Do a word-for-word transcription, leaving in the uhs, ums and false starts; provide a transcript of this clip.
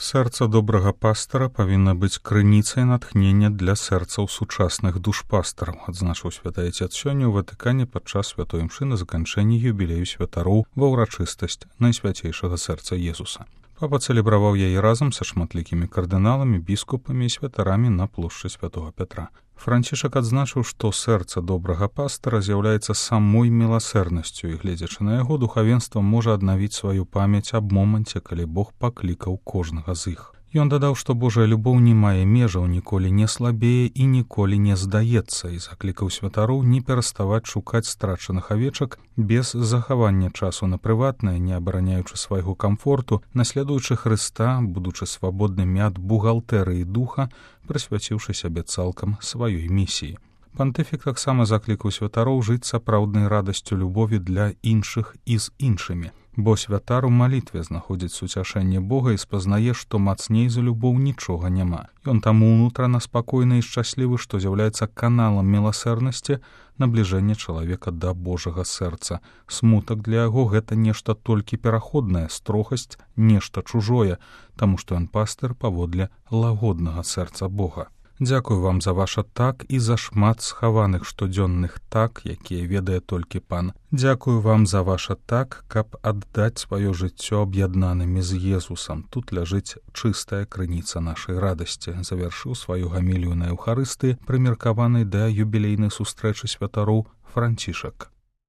Сэрца добрага пастара павінна быць крыніцай натхнення для сэрцаў сучасных душпастараў, адзначыў святы Отец сёння ў Ватыкане падчас святой імшы на заканчэнні юбілею святароў ва ўрачыстасць Найсвяцейшага сэрца Езуса. Папа цэлебраваў яе разам са шматлікімі кардыналамі, біскупамі і святарамі на плошчы святого Пятра. Францішак адзначыў, што сэрца добрага пастара з'яўляецца самой міласэрнасцю, і, гледзячы на яго, духавенства можа аднавіць сваю памяць аб моманце, калі Бог паклікаў кожнага з іх. Ён дадаў, што Божая любоў не мае межаў, ніколі не слабее і ніколі не здаецца, і заклікаў святароў не пераставаць шукаць страчаных авечак без захавання часу на прыватнае, не абараняючы свайго камфорту, наследуючы Хрыста, будучы свабоднымі ад бухгалтэрыі духа, прысвяціўшы сябе цалкам сваёй місіі. Пантыфік таксама заклікаў святароў жыць сапраўднай радасцю любові для іншых і з іншымі. Бо святар у малітве знаходзіць суцяшэнне Бога і спазнае, што мацней за любоў нічога няма. Ён таму ўнутрана спакойны і шчаслівы, што з'яўляецца каналам міласэрнасці, набліжэння чалавека да Божага сэрца. Смутак для яго гэта нешта толькі пераходнае, строгасць нешта чужое, таму што ён пастыр паводле лагоднага сэрца Бога. Дзякую вам за ваша так і за шмат схаваных штодзённых так, якія ведае толькі пан. Дзякую вам за ваша так, каб аддаць сваё жыццё аб'яднанымі з Езусам. Тут ляжыць чыстая крыніца нашай радасці. Завяршыў сваю гамілію на Еўхарыстыі, прымеркаванай да юбілейнай сустрэчы святароў Францішак.